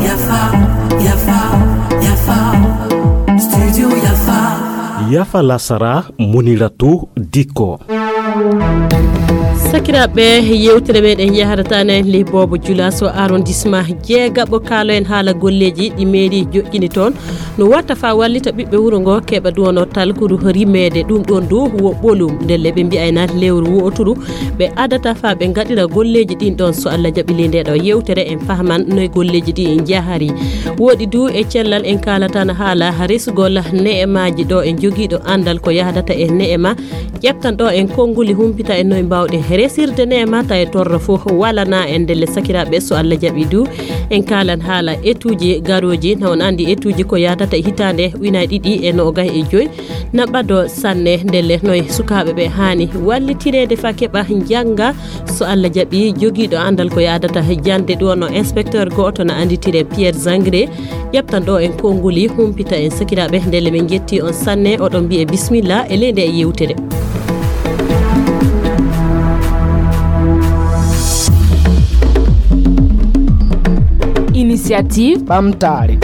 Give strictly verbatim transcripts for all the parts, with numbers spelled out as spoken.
Yafa, yafa, yafa. Studio Yafa. Yafa lasara, Muniratu Dikko. Sakiraaɓe, yewtere meɗen yaharata ne ley Boobo Julaaso, arrondissement jeegaɓo. Kaalo en haala golleeji ɗi mairie joƴƴini toon, no watta faa wallita ɓiɓɓe wuro ngo keɓa duwono talkuru rimeede. Ɗum ɗoon du wo ɓolum, ndelle ɓe mbi'ayna lewru wo'oturu ɓe adata faa ɓe ngaɗira golleeji ɗin ɗoon. So Allah jaɓi ley ndee ɗoo yewtere, en fahman noye golleeji ɗi njahari. Woɗi du e cellal en kaalata na haala resugol ne'emaaji ɗo en jogiiɗo anndal ko yahdata e ne'ema. Ƴettan ɗo en konnguli, humpita en noye mbaawɗen resirde ne'ema tawa e torra fof walana en. Ndelle sakiraaɓe, so Allah jaɓi du, en kaalan haala etuuji garooji. Na on anndi etuuji ko yahdata e hitaande ujunaaji ɗiɗi e noogay e joy na ɓado sanne. Ndelle noye sukaaɓe ɓe haani wallitireede faa keɓa njannga. So Allah jaɓi, jogiiɗo anndal ko yahdata jannde ɗo no inspecteur gooto na annditiree Pierre Zangré. Ƴettan ɗo en konnguli, humpita en sakiraaɓe. Ndelle min njetti on sanne, oɗon mbiye bismillah e ley ndee yewtere. Initiative Ɓamtaare.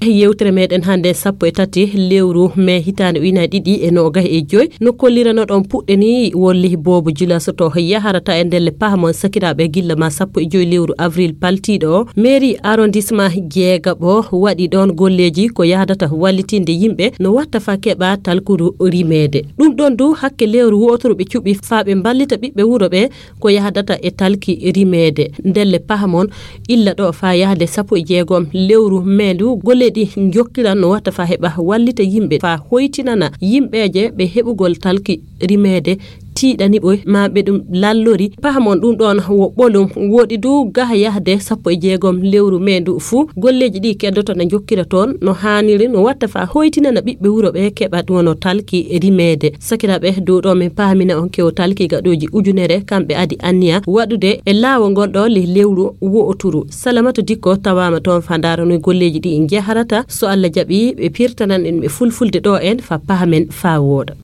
Yewtere meɗen hannde sappo e tati lewru mee hitaande ujunaaji ɗiɗi e noogay e joy. No kolliranoɗon puɗɗe ni, wolli Boobo Julaaso to yaharata e ndelle pahamon sakiraaɓe gilla ma sappo e joy lewru avril paltiiɗo o. Mairie arrondissement jeegaɓo waɗi ɗoon golleeji ko yahdata wallitinde yimɓe no watta faa keɓa talkuru rimeede. Ɗum ɗoon du hakke lewru wooturu ɓe cuɓi faa ɓe mballita ɓiɓɓe wuro ɓe ko yahdata e talki rimeede. Ndelle pahamon illa ɗo faa yahde sappo e jeegom lewru mee ndu, golle ɗi njokkiran no watta faa heɓa wallita yimɓe faa hoytinana yimɓeeje ɓe heɓugol talki rimeede, tiiɗani ɓoy maa ɓe ɗum lallori. Pahamon ɗum ɗoon wo ɓolum. Woɗi du gaha yahde sappo e jeegom lewru mee ndu fuu, golleeji ɗi keddoto na njokkira toon no haaniri, no watta faa hoytinana ɓiɓɓe wuro ɓe keɓa ɗum wano talki rimeede. Sakiraaɓe, dow ɗo min paamina on kewo talki gaɗooji ujunere, kamɓe adi anniya waɗude e laawol ngol ɗo le-, lewru wo'oturu. Salamatu Dikko tawaama toon faa ndaara noye golleeji ɗi njaharata. So Allah jaɓi, ɓe pirtanan en ɓe fulfulde ɗo en faa pahamen faa wooɗa.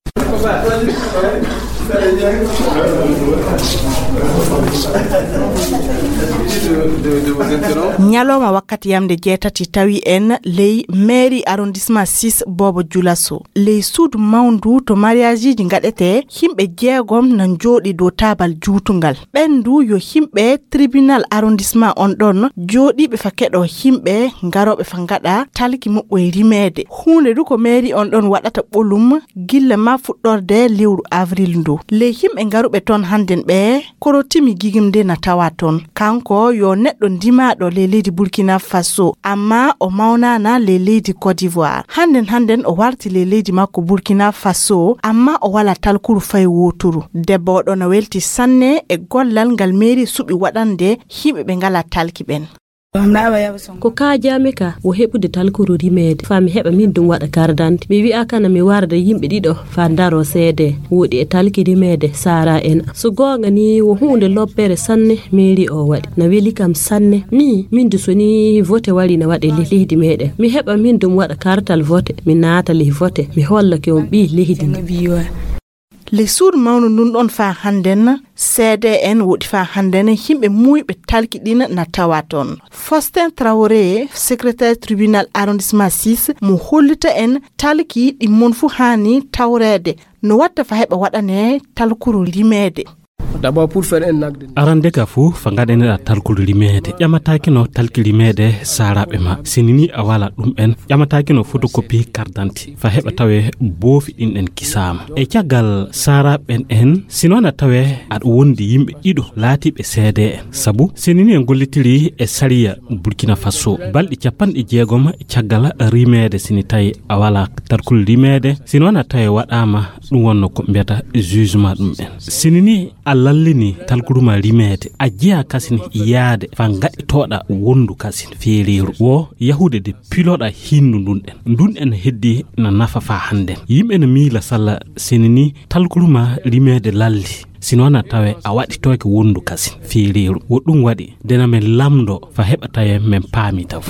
Ñalawma wakkati yamde jeetati tawi en ley mairie arrondissement six Boobo Julaso. Ley suudu mawndu to mariageji ngaɗetee, yimɓe jeegom na njooɗi dow taabal juutungal. Ɓen du yo yimɓe tribunal arrondissement on ɗon jooɗiiɓe fa keɗo yimɓe ngarooɓe fa ngaɗa talki muɓɓoy rimeede. Huunde du ko mairie on ɗon waɗata ɓolum gilla ma fuɗɗorde lewru avril ndu. Ley yimɓe ngaruɓe toon hannden ɓe, korotimi gigimde na tawa toon. Kanko yo neɗɗo ndimaaɗo ley leydi Burkina Faso, amma o mawnaana ley leydi Côte d'Ivoire. Hannden hannden o warti ley leydi makko Burkina Faso, amma o walaa talkuru fay wooturu. Debbo oɗo na welti sanne e gollal ngal mairie suɓi waɗande yimɓe ɓe ngalaa talki ɓen. Ko kaajaami ka wo heɓude talkuru rimeede, faa mi heɓa min ɗum waɗa kardante. Mi wi'a kana mi warda yimɓe ɗiɗo faa ndaroo seede, woɗi e talki rimeede, Sara en. So goonga ni, wo huunde lobbere sanne mairie o waɗi. Na weli kam sanne. Mi, min du so ni vote wari na waɗe le-, leydi meɗen, mi heɓa min ɗum waɗa kartal vote, mi naata le vote, mi hollake on ɓii leydi ndi. Le suudu mawndu ndun ɗon faa hannden, C D N woɗi faa hannden, yimɓe muuyɓe talki ɗin na tawa toon. Faustin Traoré, secrétaire tribunal arrondissement six, mo hollita en talki ɗi mon fu haani tawreede. No watta faa heɓa waɗane talkuru rimeede. D'abord, pour faire un acte de Arande ka fu, fa ngaɗaneɗa talkuru rimeede. Ƴamataake no talki rimeede saaraaɓe ma. Sini ni a wala ɗum en. Ƴamataake no photocopie carte d'identité. Fa heɓa tawe boofi ɗin ɗen kisaama. E caggal saaraaɓe ɓen en, sino na tawe aɗa wondi yimɓe ɗiɗo laatiiɓe C D N. Sabu, sini ni en gollitiri e sariya Burkina Faso. Balɗe capanɗe jeegom caggal rimeede sini tawi a wala talkuru rimeede. Sino na tawe waɗaama ɗum wonno ko mbiyata jugement ɗum en. Sini ni a lallini talkuruma rimeede, a jeyaa kasin yaade faa ngaɗitooɗa wondu kasin feereeru. Wo yahude de piloɗa hinnu ndun ɗen. Ndun en heddi na nafa faa hannden. Yimɓe no miila salla sini ni talkuruma rimeede lalli. Sino na tawe a waɗitooke wondu kasin feereeru. Wo ɗum waɗi dena men lamndo faa heɓa tawe men paami taw.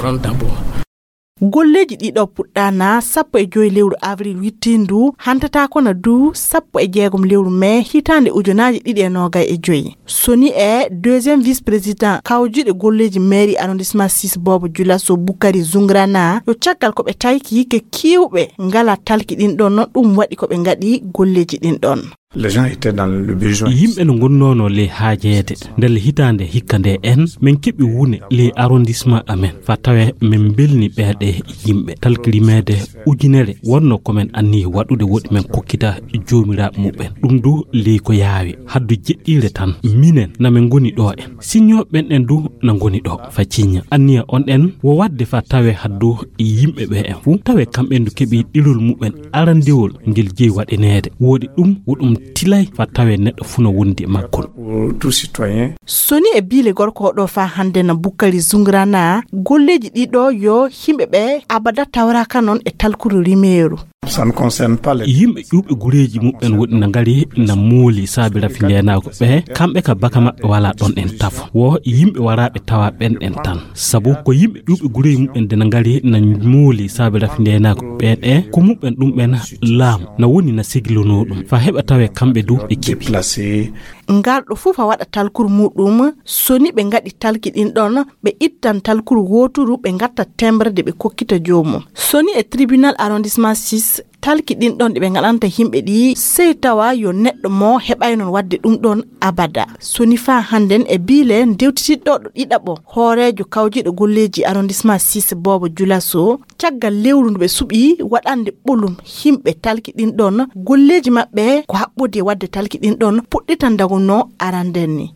Golleeji ɗiɗo puɗɗaana sappo e joyi lewru avril wittiindu, hantataako na du sappo e jeegom lewru mee hitaande ujunaaji ɗiɗi e noogay e joyi. Soni e deuxième vice-président kawjuɗe golleeji mairie arrondissement six Bobo Julaso Bukari Zungrana, yo caggal ko ɓe tayki ke kiiwɓe ngala talki ɗin ɗon, ɗum waɗi ko ɓe ngaɗi golleeji ɗin ɗon. Les gens étaient dans le besoin. Yimɓe no ngonnoono ley haajeede. Ndelle hitaande hikka nde en, min keɓi wune ley arrondissement amen, fa tawe min mbelni ɓeeɗe yimɓe. Talki rimeede ujunere wonno ko min anniyi waɗude, woɗi min kokkita joomiraaɓe muɓɓen. Ɗum du ley ko yaawi. Haddu jeɗɗiire tan, minen na min ngoni ɗo en. Siñooɓe ɓen en du na ngoni ɗo fa ciñña. Anniya on en wo waɗde fa tawe haddu yimɓe ɓe en fuu, tawe kamɓe du keɓi ɗilol muɓɓen arandewol ngel jeyi waɗineede. Woɗi ɗum, wo ɗum tilay fa tawe neɗɗo fuu no wondi e maggol. Pour tout citoyen. Soni e biile gorko o ɗo fa hande na Bukari Zungrana, golleeji ɗiɗo yo himɓe ɓe abada tawraka non e talkuru rimeeru. Ça ne concerne pas les. Yimɓe ƴuuɓe gureeji muɓɓen woɗi na ngari na mooli saabi rafi ndeenaagu ɓe, kamɓe ka baka maɓɓe wala ɗon en tafo. Wo yimɓe waraaɓe tawa ɓen en tan. Sabu ko yimɓe ƴuuɓe gureeji muɓɓen de na ngari na mooli saabi rafi ndeenaagu ɓe ɗe, ko muɓɓen ɗum ɓen laamu na woni na sigilonoo ɗum. Fa heɓa tawe kamɓe du ɓe keɓi. Déplacé. Ngal ɗo fuu fa waɗa talkuru muɗum, soni ɓe ngaɗi talki ɗin ɗon, ɓe ittan talkuru wooturu, ɓe ngatta tembre de ɓe kokkita joomum. Soni e tribunal arrondissement six, talki ɗin ɗon ɗi ɓe ngaɗanta yimɓe ɗi, sey tawa yo neɗɗo mo heɓay non waɗde ɗum ɗon abada. Soni fa hannden e biile ndewtitiɗɗo ɗo ɗiɗaɓo, hooreejo kawjiɗo golleeji arrondissement six Bobo Julaso, caggal lewru ndu ɓe suɓi waɗande ɓolum yimɓe talki ɗin ɗon, golleeji maɓɓe ko haɓɓodi e waɗde talki ɗin ɗon puɗɗitan dago no aranden ni.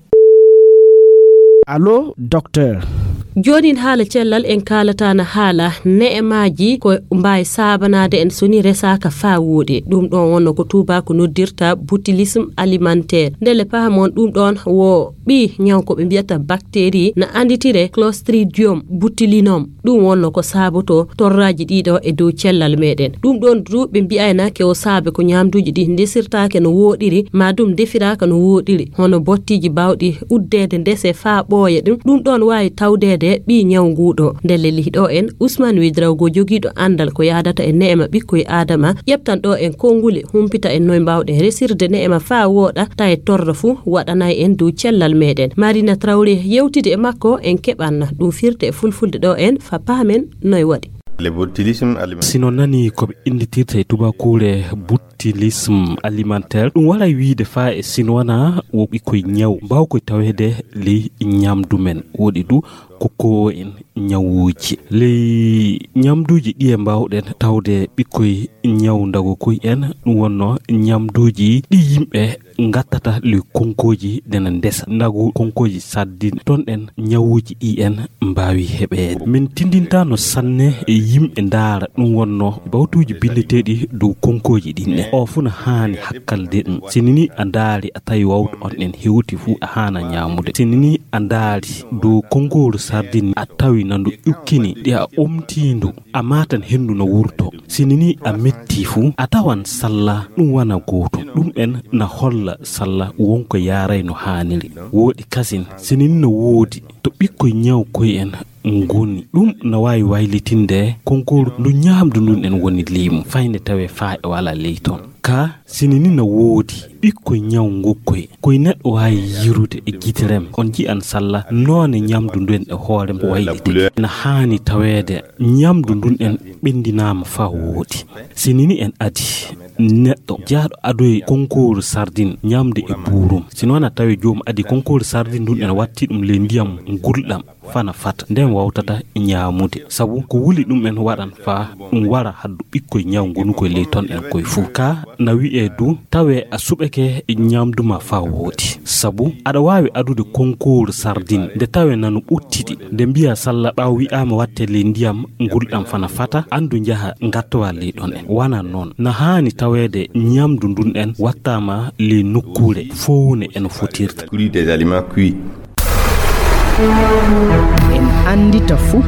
Allo, docteur. Joonin haala cellal en kaalata na haala ne'emaaji ko mbaawi saabanaade en so ni resaaka faa wooɗi. Ɗum ɗoon wonno ko tuubaako noddirta botulisme alimentaire. Ndelle pahamon ɗum ɗoon wo ɓii ñaw ko ɓe mbiyata bactérie na annditire Clostridium botulinum. Ɗum wonno ko saabotoo torraaji ɗiɗo e dow cellal meɗen. Ɗum ɗoon du ɓe mbiyayna ke o saabe ko ñaamduuji ɗi ndesirtaake no wooɗiri, maa ɗum ndefiraaka no wooɗiri, hono bottiiji baawɗi uddeede ndese faa ɓooya ɗum. Ɗum ɗoon waawi tawdeede ɓii ñaw nguu ɗo. Ndelle lihi ɗo en, Ousmane Ouédraogo jogiiɗo anndal ko yaadata e ne'ema ɓikkoy Aadama, ƴeftan ɗo en konnguli, humpita en noy mbaawɗen resirde ne'ema faa wooɗa, tawa torra fuu waɗanay en dow cellal meɗen. Marina Traoré yewtidi e makko, en keɓan ɗum firte e fulfulde ɗo en fa paamen noy waɗi. Le botulisme alimentaire. Si no nani ko ɓe innditirta e tubakuure botulisme alimentaire, ɗum waray wiide faa e sinwana wo ɓikkoy ñaw mbaaw koy taweede ley ñaamdu men. Woɗi du ko kowo en ñawuuji. Ley ñaamduuji ɗi e mbaawɗen tawde ɓikkoy ñaw ndago koy en, ɗum wonno ñaamduuji ɗi yimɓe ngattata ley konkooji dena ndesa. Ndagu konkooji saddin ton en ñawuuji ɗi en mbaawi heɓeede. Min tindintaano sanne e yimɓe ndaara ɗum wonno bawtuuji binndeteeɗi dow konkooji ɗin ɗen. O fuu na haani hakkalde ɗum. Si ni a ndaari a tawi wawtu on en hewti fuu a haana ñaamude. Si ni a ndaari dow konkooru sardin a tawi na ndu ƴukkini ɗi a omtiindu. A maatan henndu no wurto. Si ni a metti fuu, a tawan salla ɗum wana gootum. Ɗum en na holla salla wonko yaaray no haaniri. Wooɗi kasin, si ni no woodi to ɓikkoy ñaw koy en ngoni. Ɗum na waawi waylitinde konkooru ndu ñaamdu ndun en woni leymu, fayde tawee faa e wala ley ton. Ka si ni no woodi ɓikkoy ñaw ngokkoy, koy neɗɗo waawi yirude e gite rem. On ji'an salla noone ñaamdu ndun e hoore mum wayliti. Na haani taweede ñaamdu ndun en ɓendinaama faa wooɗi. Si ni en adi neɗɗo jaaɗo adoye konkooru sardin ñaamde e buurum. Si noon a tawi joom adi konkooru sardin ndun en watti ɗum ley ndiyam ngulɗam fana fata. Nden wawtata ñaamude. Sabu ko wuli ɗum en waɗan faa ɗum wara haddu ɓikkoy ñaw ngonu koy ley ton en koy fuu. Ka na wi'ee du tawe a suɓake ñaamdu ma faa wooɗi. Sabu aɗa waawi adude konkooru sardin nde tawe nanu ɓuttiɗi. Nde mbiya salla ɓaawo wi'aama watte ley ndiyam ngulɗam fana fata, andu njaha ngattowa ley ɗon en. Wana noon. Na haani taweede ñaamdu ndun en wattaama ley nokkuure fowne en fotirta. Cuit des aliments cuits. En anndita fuu.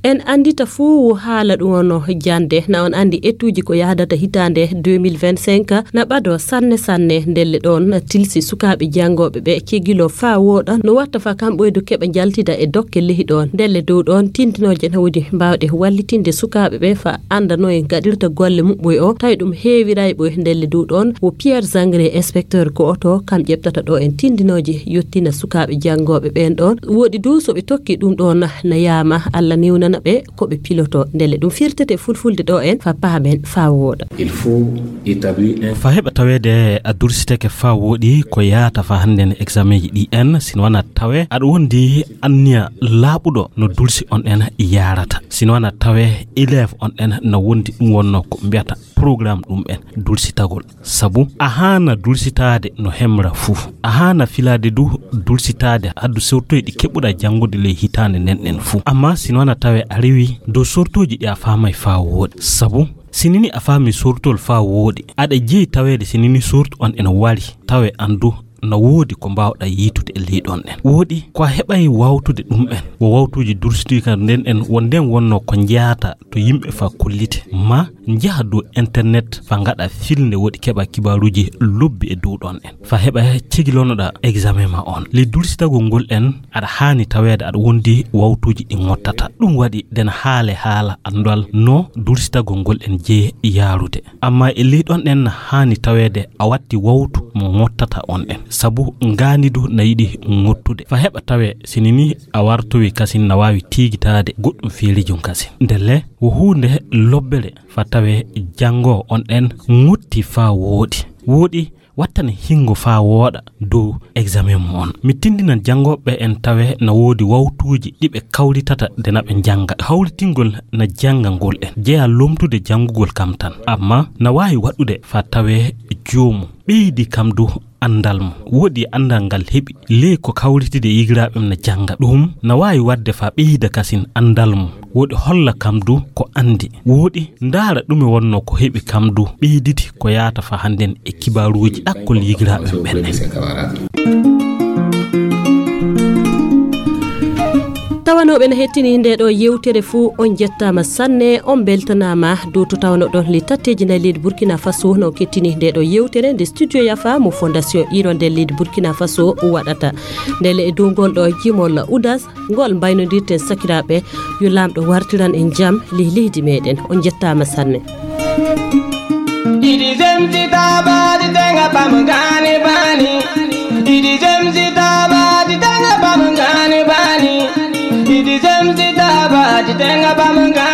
En anndita fuu wo haala ɗum wonno jannde. Na on anndi etuuji ko yahdata hitaande deux mille vingt-cinq na ɓado sanne sanne. Ndelle ɗoon na tilsi sukaaɓe janngooɓe ɓe cegiloo faa wooɗa no watta faa kam ɓoydo keɓa njaltida e dokke lehi ɗoon. Ndelle dow ɗoon tindinooje na woodi mbaawɗe wallitinde sukaaɓe ɓe faa annda no en gaɗirta golle muɓɓoy o, tawi ɗum heewiray ɓoy. Ndelle dow ɗoon wo Pierre Zangre, inspecteur go'oto, kam ƴeɓtata ɗo en tindinooje yottina sukaaɓe janngooɓe ɓeen ɗoon. Woodi dow so ɓe tokki ɗum ɗoon na yaama, Allah newnana ɓe ko ɓe piloto. Ndelle ɗum firtete fulfulde ɗo en faa paamen faa wooɗa. Il faut établir un Faa heɓa taweede a dursitake faa wooɗi ko yaata faa hannden examen ji ɗi en, sino wana tawe aɗa wondi anniya laaɓuɗo no dursi on en yaarata. Sino wana tawe élève on en na wondi ɗum wonno ko mbiyata programme ɗum en dursitagol. Sabu a haana dursitaade no hemra fuu. A haana filaade du dursitaade haddu sewtoy ɗi keɓuɗa janngude ley hitaande nden ɗen fuu. Amma sino wana tawe a rewi dow sortooji ɗi a faamay faa wooɗi. Sabu sinini a faami sortol faa wooɗi, aɗa jeyi taweede sinini sortu on en wari tawe an du na woodi ko mbaawɗa yiitude e ley ɗon ɗen. Wooɗi ko a heɓay wawtude ɗum en. Wo wawtuuji dursuɗi ka nden en wo nden wonno ko njaata to yimɓe faa kollite. Ma njaha dow internet faa ngaɗa filnde woɗi keɓa kibaaruuji lobbi e dow ɗon en. Faa heɓa cegilonoɗa examen ma on. Ley dursitagol ngol en aɗa haani taweede aɗa wondi wawtuuji ɗi ngottata. Ɗum waɗi nden haale haala anndal no dursitagol ngol en jeyi yaarude. Amma e ley ɗon ɗen na haani taweede a watti wawtu mo ngottata on ɗen. Sabu ngaandi du na yiɗi ngottude. Faa heɓa tawe sinini a wartowi kasin na waawi tiigitaade goɗɗum feerijum kasin. Ndelle wo huunde lobbere faa tawe janngoo on ɗen ngotti faa wooɗi. Wooɗi wattane hingo faa wooɗa dow examen mo on. Mi tindinan janngooɓe en tawe na woodi wawtuuji ɗi ɓe kawritata nde na ɓe njannga. Hawritingol na janngangol en jeya lomtude janngugol kam tan. Amma na waawi waɗude faa tawe joomum ɓeydi kam du anndal mum. Woodi anndal ngal heɓi ley ko kawritide e yigiraaɓe mum na jannga. Ɗum na waawi waɗde faa ɓeyda kasin anndal mum. Woodi holla kam du ko anndi. Woodi ndaara ɗume wonno ko heɓi kam du ɓeyditi ko yaata faa hannden e kibaaruuji ɗakkol yigiraaɓe mum ɓen. Tawanooɓe no hettini nde ɗo yewtere fuu, on jettaama sanne, on mbeltanaama dow to tawanoɗon le tatteeji nayi leydi Burkina Faso no kettini nde ɗo yewtere nde Studio Yafa mo Fondation Hirondelle leydi Burkina Faso waɗata. Ndelle e dow ngol ɗo jimol Udas, ngol mbaynodirten sakiraaɓe, yo Laamɗo wartiran en jam ley leydi meɗen. On jettaama sanne. Idi zemzi taba di tenga pam gani bani. Idi zemzi taba di tenga pam gani bani. Idi zemzi taba di tenga pam gani